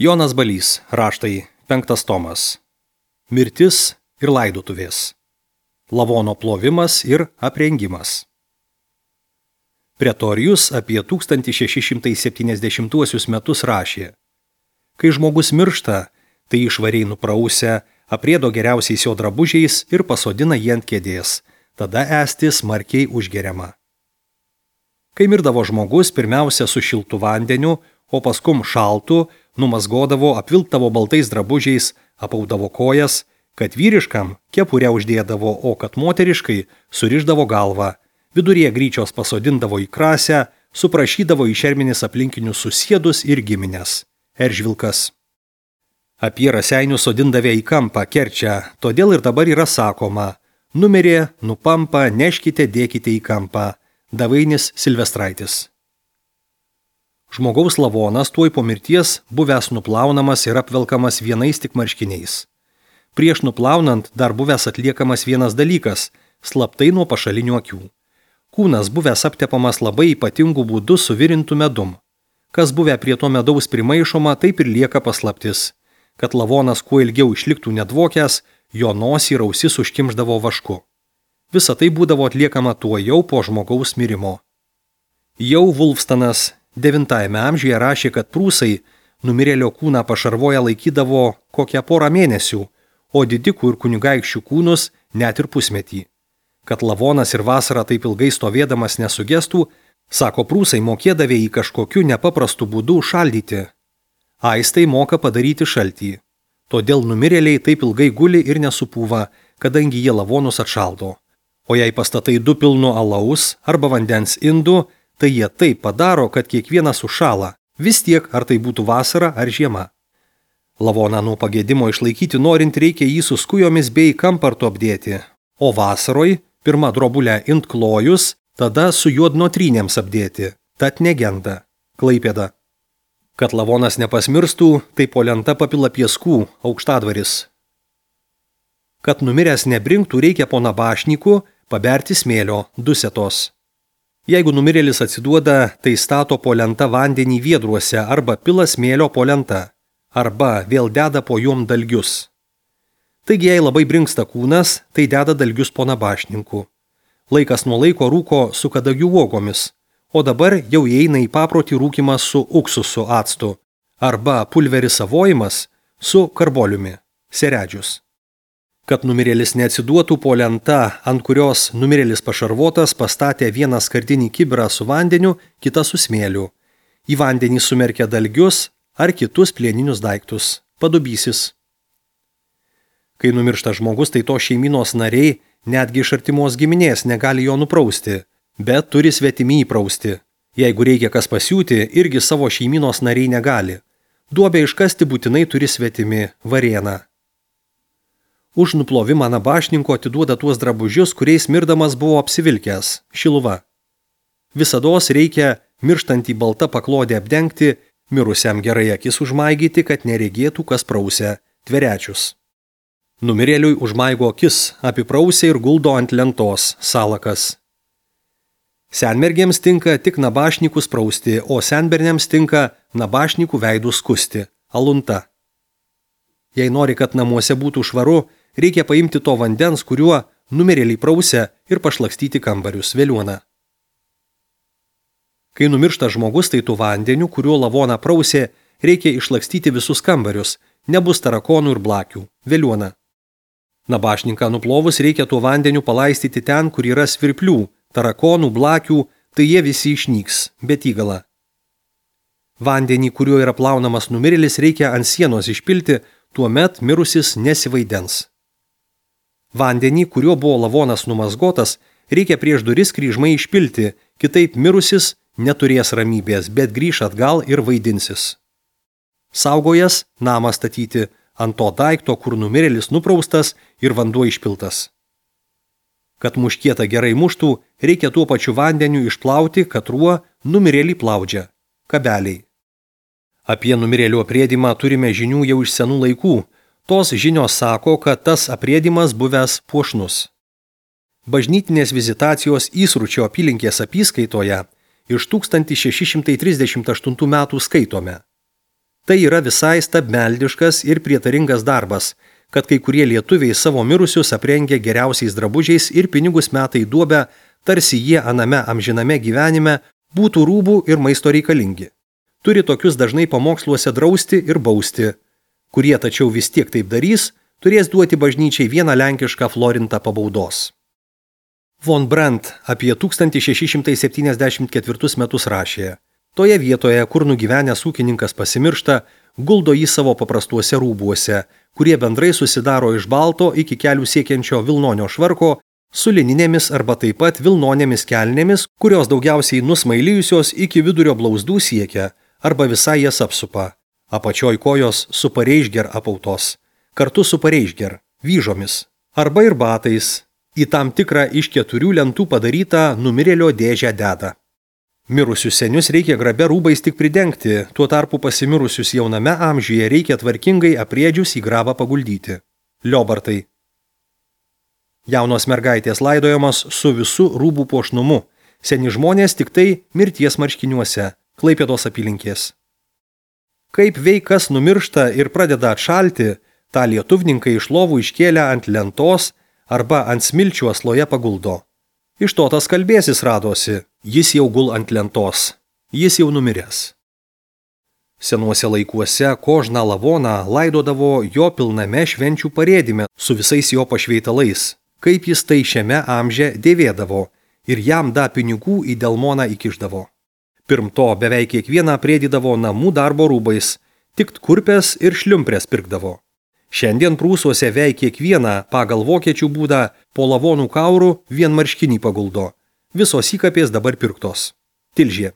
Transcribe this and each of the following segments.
Jonas Balys, raštai, 5 tomas. Mirtis ir laidotuvės. Lavono plovimas ir aprengimas. Pretorijus apie 1670 metus rašė: kai žmogus miršta, tai išvariai nuprausia, aprėdo geriausiais jo drabužiais ir pasodina jį ant kėdės, tada esti smarkiai užgeriama. Kai mirdavo žmogus, pirmiausia su šiltu vandeniu, o paskum šaltu, numazgodavo, apvilktavo baltais drabužiais, apaudavo kojas, kad vyriškam kepurę uždėdavo, o kad moteriškai surišdavo galvą, viduryje gryčios pasodindavo į krasę, suprašydavo į šermenis aplinkinius susiedus ir giminės. Eržvilkas. Apie raseinius sodindavę į kampą Kerčę, todėl ir dabar yra sakoma: numirė, nupampa, neškite, dėkite į kampą. Davainis Silvestraitis. Žmogaus lavonas tuoj po mirties buvęs nuplaunamas ir apvelkamas vienais tik marškiniais. Prieš nuplaunant dar buvęs atliekamas vienas dalykas – slaptai nuo pašalinių akių. Kūnas buvęs aptepamas labai ypatingų būdų suvirintų medum. Kas buvę prie to medaus primaišoma, taip ir lieka paslaptis. Kad lavonas kuo ilgiau išliktų nedvokęs, jo nosį ir ausis užkimšdavo vašku. Visa tai būdavo atliekama tuojau po žmogaus mirimo. Jau Wulfstanas 9 amžiuje rašė, kad prūsai numirėlio kūną pašarvoje laikydavo kokią porą mėnesių, o didikų ir kunigaikščių kūnus net ir pusmetį. Kad lavonas ir vasarą taip ilgai stovėdamas nesugestų, sako prūsai mokėdavė į kažkokiu nepaprastu būdu šaldyti. Aistai moka padaryti šaltį. Todėl numirėliai taip ilgai guli ir nesupūva, kadangi jie lavonus atšaldo. O jei pastatai 2 pilnu alaus arba vandens indų, tai jie taip padaro, kad kiekvienas užšąla, vis tiek ar tai būtų vasara ar žiema. Lavoną nuo pagėdimo išlaikyti norint reikia jį su skujomis bei kampartu apdėti, o vasaroj pirmą drobulę intklojus, tada su juodnotrynėms apdėti, tad negenda. Klaipėda. Kad lavonas nepasmirstų, tai po lenta papila pieskų, Aukštadvaris. Kad numiręs nebrinktų, reikia po nabašniku paberti smėlio, 2 setos. Jeigu numirėlis atsiduoda, tai stato po lenta vandenį viedruose arba pila smėlio po lenta, arba vėl deda po juom dalgius. Taigi, jei labai brinksta kūnas, tai deda dalgius po nabašninku. Laikas nuo laiko rūko su kadagių uogomis, o dabar jau įeina į paprotį rūkimas su uksusu actu, arba pulveris savojimas su karboliumi, seredžius. Kad numirėlis neatsiduotų, po lenta, ant kurios numirėlis pašarvotas, pastatė vieną skardinį kibirą su vandeniu, kitą su smėliu. Į vandenį sumerkia dalgius ar kitus plieninius daiktus. Padubysis. Kai numiršta žmogus, tai to šeimynos nariai, netgi iš artimos giminės, negali jo nuprausti, bet turi svetimi įprausti. Jeigu reikia kas pasiūti, irgi savo šeimynos nariai negali. Duobę iškasti būtinai turi svetimi, varėna. Už nuplovimą nabašninko atiduoda tuos drabužius, kuriais mirdamas buvo apsivilkęs, šiluva. Visados reikia mirštantį baltą paklodę apdengti, mirusiam gerai akis užmaigyti, kad neregėtų, kas prausia, tverečius. Numirėliui užmaigo akis, apiprausia ir guldo ant lentos, salakas. Senmergėms tinka tik nabašnikus prausti, o senberniams tinka nabašnikų veidų skusti, alunta. Jei nori, kad namuose būtų švaru, reikia paimti to vandens, kuriuo numirėliai prausia, ir pašlakstyti kambarius, veliuona. Kai numiršta žmogus, tai tų vandeniu, kuriuo lavoną prausė, reikia išlakstyti visus kambarius, nebus tarakonų ir blakių, veliuona. Nabašninką nuplovus reikia tuo vandeniu palaistyti ten, kur yra svirplių, tarakonų, blakių, tai jie visi išnyks, bet įgala. Vandenį, kuriuo yra plaunamas numirėlis, reikia ant sienos išpilti, tuomet mirusis nesivaidens. Vandenį, kuriuo buvo lavonas numazgotas, reikia prieš duris kryžmai išpilti, kitaip mirusis neturės ramybės, bet grįš atgal ir vaidinsis. Saugojas namą statyti ant to daikto, kur numirėlis nupraustas ir vanduo išpiltas. Kad muškietą gerai muštų, reikia tuo pačiu vandeniu išplauti, kad ruo numirėlį plaudžia, kabeliai. Apie numirėlių aprėdimą turime žinių jau iš senų laikų. Tos žinios sako, kad tas aprėdimas buvęs puošnus. Bažnytinės vizitacijos Įsručio apylinkės apyskaitoje iš 1638 metų skaitome. Tai yra visai stabmeldiškas ir prietaringas darbas, kad kai kurie lietuviai savo mirusius aprengia geriausiais drabužiais ir pinigus meta į duobę, tarsi jie aname amžiname gyvenime būtų rūbų ir maisto reikalingi. Turi tokius dažnai pamoksluose drausti ir bausti. Kurie tačiau vis tiek taip darys, turės duoti bažnyčiai vieną lenkišką florintą pabaudos. Von Brandt apie 1674 metus rašė: toje vietoje, kur nugyvenęs ūkininkas pasimiršta, guldo jį savo paprastuose rūbuose, kurie bendrai susidaro iš balto iki kelių siekiančio vilnonio švarko, su lininėmis arba taip pat vilnonėmis kelnėmis, kurios daugiausiai nusmailijusios iki vidurio blauzdų siekia, arba visai jas apsupa. Apačioj kojos su pareišger apautos, kartu su pareišger, vyžomis, arba ir batais, į tam tikrą iš 4 lentų padarytą numirėlio dėžę deda. Mirusius senius reikia grabia rūbais tik pridengti, tuo tarpu pasimirusius jauname amžiuje reikia tvarkingai apriedžius į grabą paguldyti. Liobartai. Jaunos mergaitės laidojamos su visu rūbų puošnumu, seni žmonės tik tai mirties marškiniuose, Klaipėdos apylinkės. Kaip veikas numiršta ir pradeda atšalti, tą lietuvninkai iš lovų iškėlę ant lentos arba ant smilčių asloje paguldo. Iš to tas kalbėsis radosi, jis jau gul ant lentos, jis jau numiręs. Senuose laikuose kožną lavoną laidodavo jo pilname švenčių parėdime su visais jo pašveitalais, kaip jis tai šiame amže dėvėdavo ir jam da pinigų į delmoną įkišdavo. Pirmto beveik kiekvieną prėdydavo namų darbo rūbais, tik kurpes ir šliumprės pirkdavo. Šiandien Prūsuose veik kiekvieną pagal vokiečių būdą po lavonų kaurų vien marškinį paguldo. Visos įkapės dabar pirktos. Tilžė.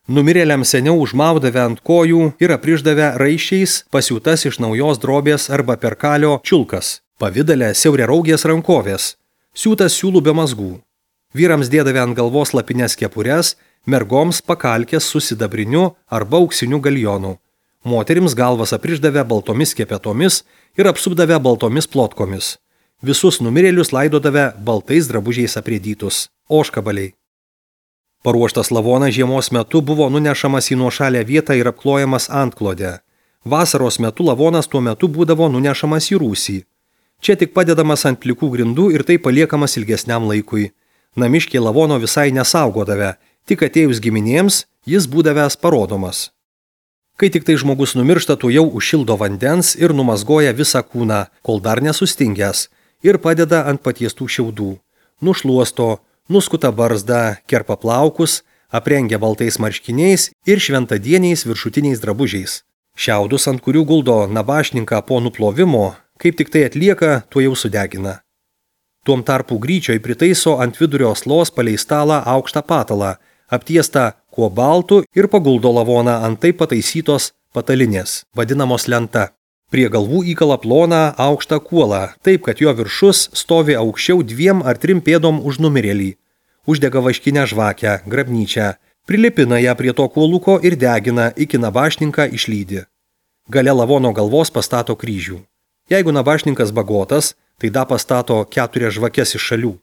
Numirėliam seniau užmaudavę ant kojų ir apriždavę raiščiais pasiūtas iš naujos drobės arba perkalio čiulkas, pavidale siauriaraugės rankovės, siūtas siūlų be mazgų. Vyrams dėdavę ant galvos lapines kepures, mergoms pakalkės su sidabriniu arba auksiniu galjonu. Moterims galvas apriždavę baltomis kepetomis ir apsupdavę baltomis plotkomis. Visus numirėlius laidodavę baltais drabužiais aprėdytus. Ožkabaliai. Paruoštas lavonas žiemos metu buvo nunešamas į nuošalę vietą ir apklojamas antklodę. Vasaros metu lavonas tuo metu būdavo nunešamas į rūsį. Čia tik padedamas ant plikų grindų ir tai paliekamas ilgesniam laikui. Namiškiai lavono visai nesaugodavę, tik atėjus giminėms jis būdavęs parodomas. Kai tik tai žmogus numiršta, tu jau užšildo vandens ir numazgoja visą kūną, kol dar nesustingęs, ir padeda ant patiestų šiaudų. Nušluosto, nuskuta barzdą, kerpa plaukus, aprengia baltais marškiniais ir šventadieniais viršutiniais drabužiais. Šiaudus, ant kurių guldo nabašninką po nuplovimo, kaip tik tai atlieka, tuo jau sudegina. Tuom tarpu gryčioj pritaiso ant vidurio aslos palei stalą aukštą patalą, aptiestą kuo baltų ir paguldo lavoną ant taip pataisytos patalinės, vadinamos lenta. Prie galvų įkala ploną aukštą kuolą, taip kad jo viršus stovi aukščiau 2 ar 3 pėdom už numirėlį. Uždega vaškinę žvakę, grabnyčią, prilipina ją prie to kuoluko ir degina, iki nabašninką išlydi. Gale lavono galvos pastato kryžių. Jeigu nabašninkas bagotas, tai da pastato 4 žvakes iš šalių.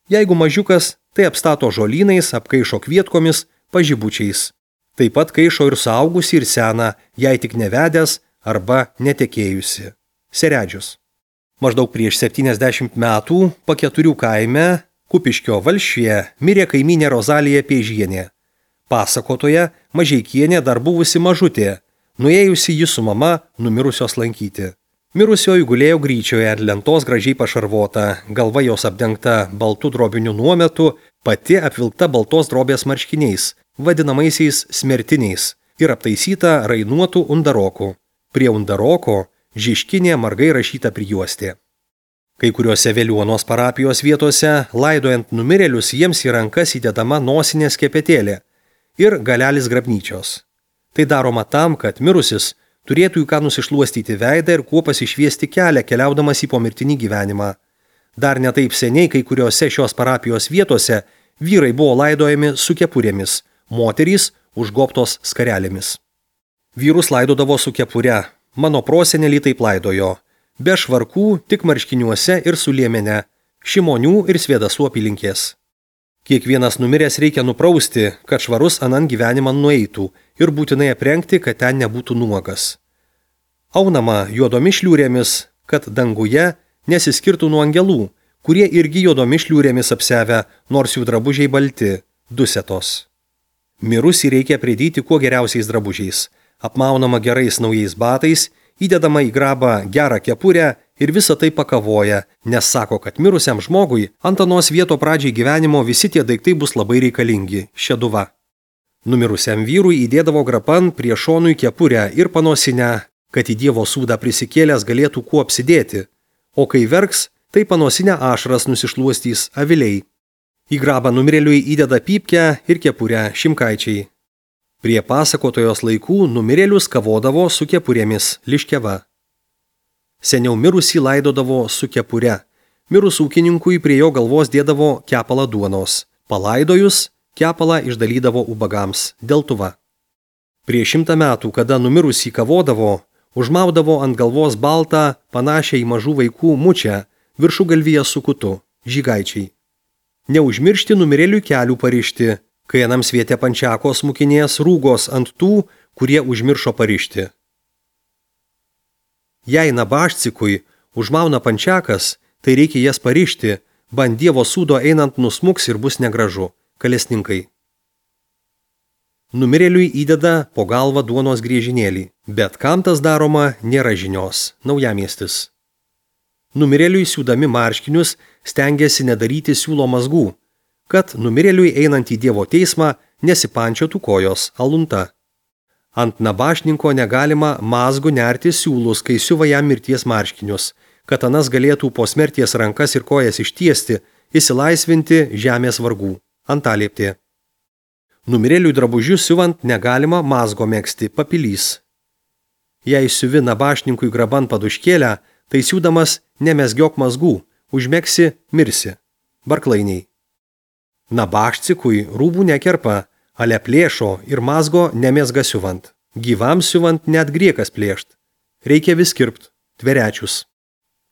Jeigu mažiukas, tai apstato žolynais, apkaišo kvietkomis, pažibučiais. Taip pat kaišo ir suaugusi ir seną, jei tik nevedęs arba netekėjusi. Seredžius. Maždaug prieš 70 metų Paketurių kaime Kupiškio valsčiuje mirė kaimynė Rozalija Pėžienė. Pasakotoje Mažeikienė dar buvusi mažutė, nuėjusi ji su mama numirusios lankyti. Mirusioji gulėjo gryčioje ant lentos gražiai pašarvota, galva jos apdengta baltų drobinių nuometų, pati apvilkta baltos drobės marškiniais, vadinamaisiais smertiniais, ir aptaisyta rainuotų undarokų. Prie undaroko žiškinė margai rašyta prijuostė. Kai kuriuose Veliuonos parapijos vietose, laidojant numirėlius, jiems į rankas įdedama nosinė skepetėlė ir galelis grabnyčios. Tai daroma tam, kad mirusis turėtų į ką nusišluostyti veidą ir kuo pasišviesti kelią, keliaudamas į pomirtinį gyvenimą. Dar ne taip seniai kai kuriuose šios parapijos vietose vyrai buvo laidojami su kepurėmis, moterys užgobtos skarelėmis. Vyrus laidodavo su kepure, mano prosenelį taip laidojo, be švarkų, tik marškiniuose ir su liemene, Šimonių ir Svėdasų apylinkės. Kiekvienas numiręs reikia nuprausti, kad švarus anan gyvenimą nueitų ir būtinai aprengti, kad ten nebūtų nuogas. Aunama juodomis šliūrėmis, kad danguje nesiskirtų nuo angelų, kurie irgi juodomis šliūrėmis apsevę, nors jų drabužiai balti, dusetos. Mirusį reikia pridėti kuo geriausiais drabužiais, apmaunama gerais naujais batais, įdedama į grabą gerą kepurę ir visą tai pakavoja, nes sako, kad mirusiam žmogui ant anos vieto pradžiai gyvenimo visi tie daiktai bus labai reikalingi, šeduva. Numirusiam vyrui įdėdavo grapan prie šonų kepurę ir panosinę, kad į Dievo sūdą prisikėlęs galėtų kuo apsidėti, o kai verks, tai panosinę ašaras nusišluostys aviliai. Į grabą numirėliui įdeda pypkę ir kepurę šimkaičiai. Prie pasakotojos laikų numirėlius kavodavo su kepurėmis liškeva. Seniau mirusį laidodavo su kepure. Mirus ūkininkui prie jo galvos dėdavo kepalą duonos. Palaidojus, kepalą išdalydavo ubagams, deltuva. Prieš 100 metų, kada numirusį kavodavo, užmaudavo ant galvos baltą, panašią į mažų vaikų mučią, viršugalvyje su kutu, žygaičiai. Neužmiršti numirėlių kelių parišti, kai anam sviete pančiakos mukinės rūgos ant tų, kurie užmiršo parišti. Jei nabašcikui užmauna pančiakas, tai reikia jas parišti, bant Dievo sūdo einant nusmuks ir bus negražu, kalesninkai. Numirėliui įdeda po galvą duonos griežinėlį, bet kam tas daroma nėra žinios, Naujamiestis. Numirėliui siūdami marškinius stengiasi nedaryti siūlo mazgų, kad numirėliui einant į Dievo teismą nesipančiotų kojos alunta. Ant nabašninko negalima mazgu nerti siūlus, kai siuva jam mirties marškinius, kad anas galėtų po smerties rankas ir kojas ištiesti, įsilaisvinti žemės vargų. Antalieptė. Numirėliui drabužius siuvant negalima mazgo megzti, papilys. Jei siuvi nabašninkui graban paduškėlę, tai siūdamas nemezgiok mazgų, užmegsi, mirsi. Barklainiai. Nabašcikui rūbų nekerpa, ale plėšo ir mazgo nemezga siuvant. Gyvam siuvant net griekas plėšt. Reikia vis kirpt, tverečius.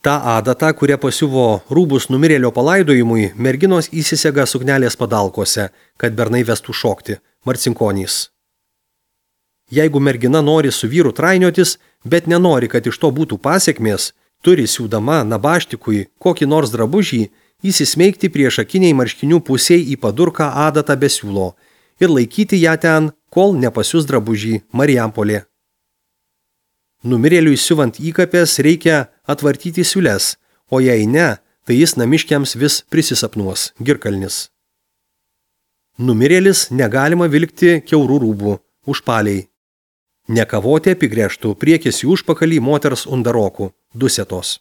Ta adata, kuria pasiuvo rūbus numirėlio palaidojimui, merginos įsisega suknelės padalkose, kad bernai vestų šokti, marcinkonys. Jeigu mergina nori su vyru trainiotis, bet nenori, kad iš to būtų pasiekmės, turi siūdama nabaštikui kokį nors drabužį įsismeigti priešakiniai marškinių pusiai į padurką adatą be siūlo ir laikyti ją ten, kol nepasius drabužį Marijampolė. Numirėliui siuvant įkapės reikia atvartyti siūles, o jei ne, tai jis namiškiams vis prisisapnuos, Girkalnis. Numirėlis negalima vilkti kiaurų rūbų, užpaliai. Nekavoti apigrėžtų priekis į užpakalį moters undarokų, dusetos.